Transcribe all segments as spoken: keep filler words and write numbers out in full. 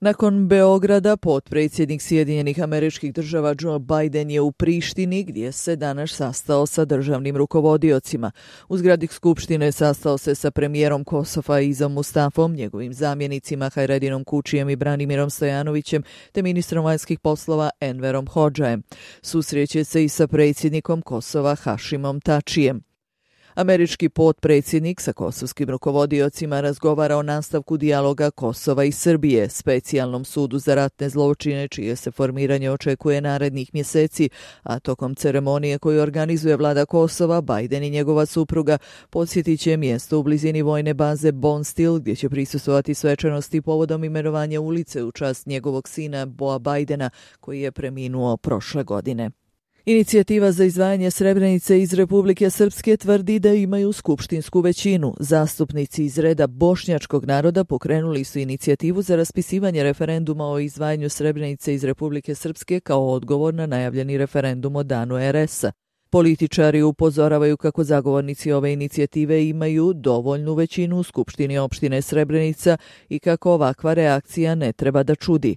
Nakon Beograda, potpredsjednik Sjedinjenih Američkih Država Joe Biden je u Prištini, gdje se danas sastao sa državnim rukovodiocima. U zgradi Skupštine sastao se sa premijerom Kosova Izom Mustafom, njegovim zamjenicima Hajredinom Kučijem i Branimirom Stojanovićem, te ministrom vanjskih poslova Enverom Hodžajem. Susreće se i sa predsjednikom Kosova Hašimom Tačijem. Američki potpredsjednik sa kosovskim rukovodiocima razgovara o nastavku dijaloga Kosova i Srbije, specijalnom sudu za ratne zločine, čije se formiranje očekuje narednih mjeseci, a tokom ceremonije koju organizuje vlada Kosova, Biden i njegova supruga posjetit će mjesto u blizini vojne baze Bonstil, gdje će prisustvovati svečanosti povodom imenovanja ulice u čast njegovog sina Boa Bidena, koji je preminuo prošle godine. Inicijativa za izdvajanje Srebrenice iz Republike Srpske tvrdi da imaju skupštinsku većinu. Zastupnici iz reda bošnjačkog naroda pokrenuli su inicijativu za raspisivanje referenduma o izdvajanju Srebrenice iz Republike Srpske kao odgovor na najavljeni referendum o danu er esa. Političari upozoravaju kako zagovornici ove inicijative imaju dovoljnu većinu u Skupštini opštine Srebrenica i kako ovakva reakcija ne treba da čudi.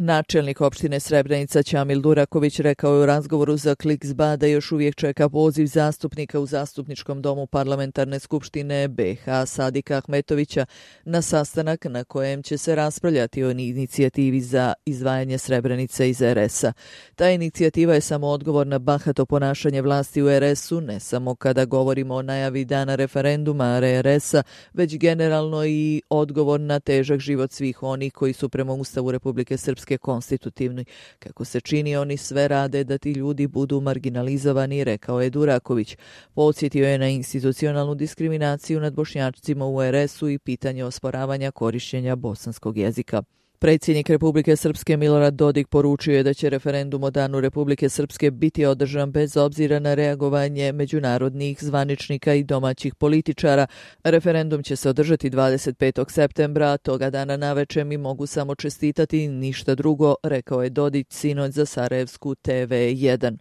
Načelnik opštine Srebrenica Ćamil Duraković rekao je u razgovoru za Kliks.ba da još uvijek čeka poziv zastupnika u Zastupničkom domu Parlamentarne skupštine be ha Sadika Ahmetovića na sastanak na kojem će se raspravljati o inicijativi za izdvajanje Srebrenice iz er esa. Ta inicijativa je samo odgovor na bahato ponašanje vlasti u er esu, ne samo kada govorimo o najavi dana referenduma er esa, već generalno i odgovor na težak život svih onih koji su prema Ustavu Republike Srpske konstitutivni. Kako se čini, oni sve rade da ti ljudi budu marginalizovani, rekao je Duraković. Podsjetio je na institucionalnu diskriminaciju nad Bošnjacima u er esu i pitanje osporavanja korišćenja bosanskog jezika. Predsjednik Republike Srpske Milorad Dodik poručio je da će referendum o danu Republike Srpske biti održan bez obzira na reagovanje međunarodnih zvaničnika i domaćih političara. Referendum će se održati dvadeset petog septembra, a toga dana naveče mi mogu samo čestitati, ništa drugo, rekao je Dodić sinoć za Sarajevsku te ve jedan.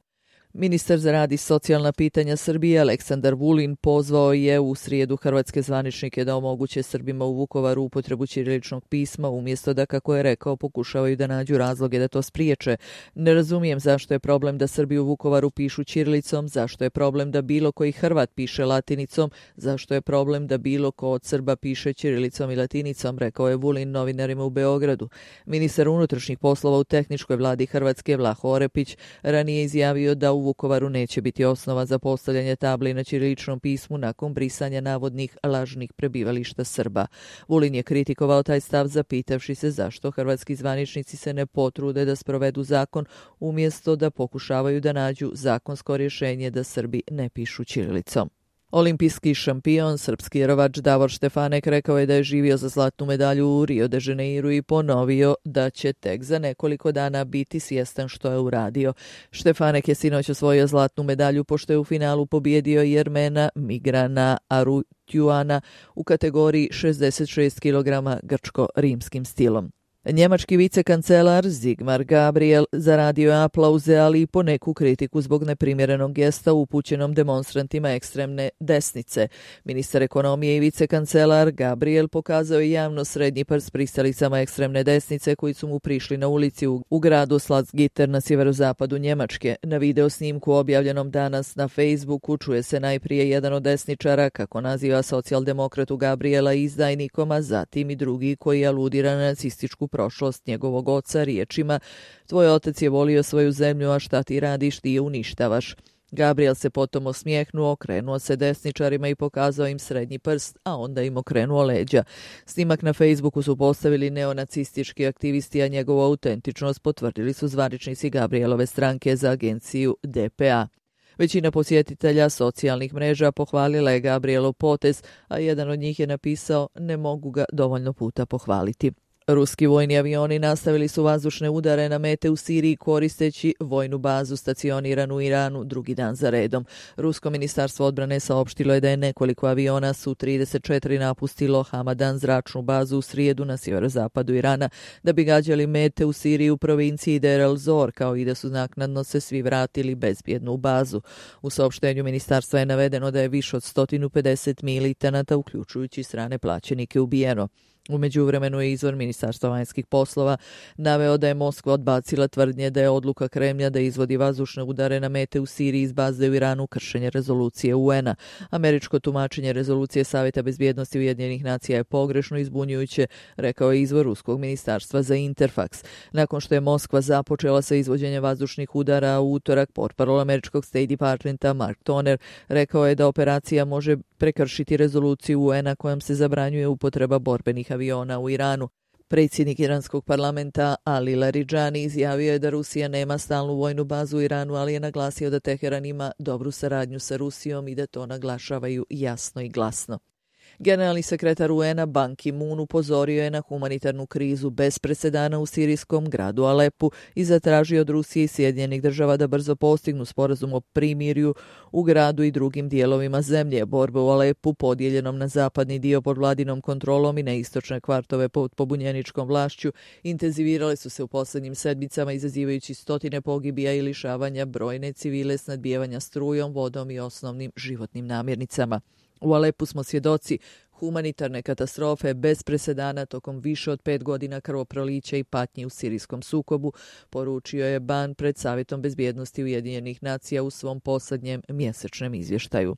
Ministar za rad i socijalna pitanja Srbije Aleksandar Vulin pozvao je u srijedu hrvatske zvaničnike da omoguće Srbima u Vukovaru upotrebu ćiriličnog pisma, umjesto da, kako je rekao, pokušavaju da nađu razloge da to spriječe. Ne razumijem zašto je problem da Srbi u Vukovaru pišu ćirilicom, zašto je problem da bilo koji Hrvat piše latinicom, zašto je problem da bilo ko od Srba piše ćirilicom i latinicom, rekao je Vulin novinarima u Beogradu. Ministar unutrašnjih poslova u tehničkoj vladi Hrvatske Vlaho Orepić ranije izjavio da u Vukovaru neće biti osnova za postavljanje tabli na ćiriličnom pismu nakon brisanja navodnih lažnih prebivališta Srba. Vulin je kritikovao taj stav zapitavši se zašto hrvatski zvaničnici se ne potrude da sprovedu zakon umjesto da pokušavaju da nađu zakonsko rješenje da Srbi ne pišu ćirilicom. Olimpijski šampion, srpski jerovač Davor Štefanek rekao je da je živio za zlatnu medalju u Rio de Janeiru i ponovio da će tek za nekoliko dana biti svjestan što je uradio. Štefanek je sinoć osvojio zlatnu medalju pošto je u finalu pobijedio Jermena Migrana Arutjuana u kategoriji šezdeset šest kilograma grčko-rimskim stilom. Njemački vicekancelar Sigmar Gabriel zaradio je aplauze, ali i poneku kritiku zbog neprimjerenog gesta upućenom demonstrantima ekstremne desnice. Ministar ekonomije i vicekancelar Gabriel pokazao je javno srednji prst pristalicama ekstremne desnice koji su mu prišli na ulici u, u gradu Salzgitter na sjeverozapadu Njemačke. Na video snimku objavljenom danas na Facebooku čuje se najprije jedan od desničara kako naziva socijaldemokratu Gabriela izdajnikom, a zatim i drugi koji aludira na nacističku prošlost njegovog oca riječima: tvoj otac je volio svoju zemlju, a šta ti radiš, ti je uništavaš. Gabriel se potom osmijehnuo, okrenuo se desničarima i pokazao im srednji prst, a onda im okrenuo leđa. Snimak na Facebooku su postavili neonacistički aktivisti, a njegovu autentičnost potvrdili su zvaničnici Gabrielove stranke za agenciju de pe a. Većina posjetitelja socijalnih mreža pohvalila je Gabrielov potez, a jedan od njih je napisao: ne mogu ga dovoljno puta pohvaliti. Ruski vojni avioni nastavili su vazdušne udare na mete u Siriji koristeći vojnu bazu stacioniranu u Iranu drugi dan za redom. Rusko ministarstvo odbrane saopštilo je da je nekoliko aviona su trideset četiri napustilo Hamadan zračnu bazu u srijedu na sjeverozapadu Irana da bi gađali mete u Siriji u provinciji Deir el-Zor, kao i da su naknadno se svi vratili bezbjedno u bazu. U saopštenju ministarstva je navedeno da je više od sto pedeset militanata, uključujući strane plaćenike, ubijeno. U međuvremenu je izvor Ministarstva vanjskih poslova naveo da je Moskva odbacila tvrdnje da je odluka Kremlja da izvodi vazdušne udare na mete u Siriji iz baze u Iranu kršenje rezolucije U N-a. Američko tumačenje rezolucije Savjeta bezbjednosti Ujedinjenih nacija je pogrešno i zbunjujuće, rekao je izvor ruskog ministarstva za Interfax. Nakon što je Moskva započela sa izvođenjem vazdušnih udara u utorak, portparol američkog State Departmenta Mark Toner rekao je da operacija može prekršiti rezoluciju U N-a kojom se zabranjuje upotreba borbenih aviona u Iranu. Predsjednik iranskog parlamenta Ali Larijani izjavio je da Rusija nema stalnu vojnu bazu u Iranu, ali je naglasio da Teheran ima dobru saradnju sa Rusijom i da to naglašavaju jasno i glasno. Generalni sekretar U N-a Ban Ki-moon upozorio je na humanitarnu krizu bez presedana u sirijskom gradu Alepu i zatražio od Rusije i Sjedinjenih država da brzo postignu sporazum o primirju u gradu i drugim dijelovima zemlje. Borbe u Alepu, podijeljenom na zapadni dio pod vladinom kontrolom i na istočne kvartove pod pobunjeničkom vlašću, intenzivirale su se u posljednjim sedmicama, izazivajući stotine pogibija i lišavanja brojne civile, snadbijevanja strujom, vodom i osnovnim životnim namirnicama. U Alepu smo svjedoci humanitarne katastrofe bez presedana tokom više od pet godina krvoprolića i patnji u sirijskom sukobu, poručio je Ban pred Savjetom bezbjednosti Ujedinjenih nacija u svom posljednjem mjesečnom izvještaju.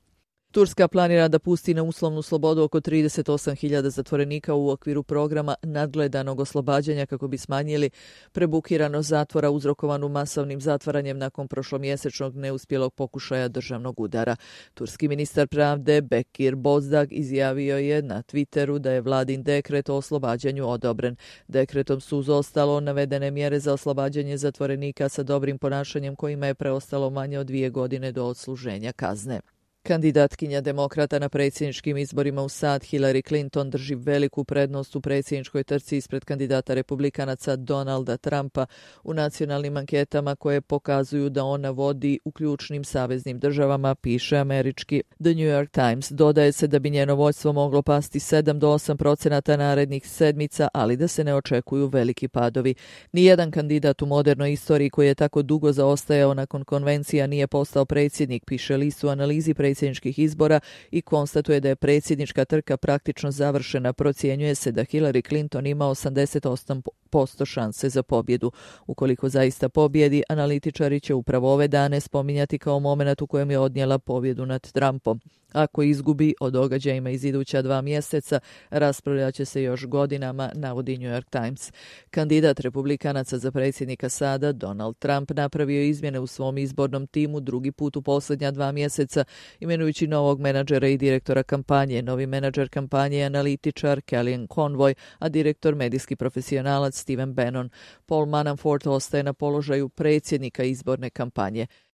Turska planira da pusti na uslovnu slobodu oko trideset osam hiljada zatvorenika u okviru programa nadgledanog oslobađanja kako bi smanjili prebukiranost zatvora uzrokovanu masovnim zatvaranjem nakon prošlomjesečnog neuspjelog pokušaja državnog udara. Turski ministar pravde Bekir Bozdag izjavio je na Twitteru da je vladin dekret o oslobađanju odobren. Dekretom su uz ostalo navedene mjere za oslobađanje zatvorenika sa dobrim ponašanjem kojima je preostalo manje od dvije godine do odsluženja kazne. Kandidatkinja demokrata na predsjedničkim izborima u sad Hillary Clinton drži veliku prednost u predsjedničkoj trci ispred kandidata republikanaca Donalda Trumpa u nacionalnim anketama koje pokazuju da ona vodi u ključnim saveznim državama, piše američki The New York Times. Dodaje se da bi njeno vođstvo moglo pasti sedam do osam procenata narednih sedmica, ali da se ne očekuju veliki padovi. Nijedan kandidat u modernoj istoriji koji je tako dugo zaostajao nakon konvencija nije postao predsjednik, piše list u analizi predsjedničkih izbora i konstatuje da je predsjednička trka praktično završena. Procjenjuje se da Hillary Clinton ima osamdeset osam posto šanse za pobjedu. Ukoliko zaista pobjedi, analitičari će upravo ove dane spominjati kao moment u kojem je odnijela pobjedu nad Trumpom. Ako izgubi, o događajima iz iduća dva mjeseca raspravljat će se još godinama, navodi New York Times. Kandidat republikanaca za predsjednika sada, Donald Trump, napravio izmjene u svom izbornom timu drugi put u posljednja dva mjeseca, imenujući novog menadžera i direktora kampanje. Novi menadžer kampanje je analitičar Kellyanne Conway, a direktor medijski profesionalac Stephen Bannon. Paul Manafort ostaje na položaju predsjednika izborne kampanje.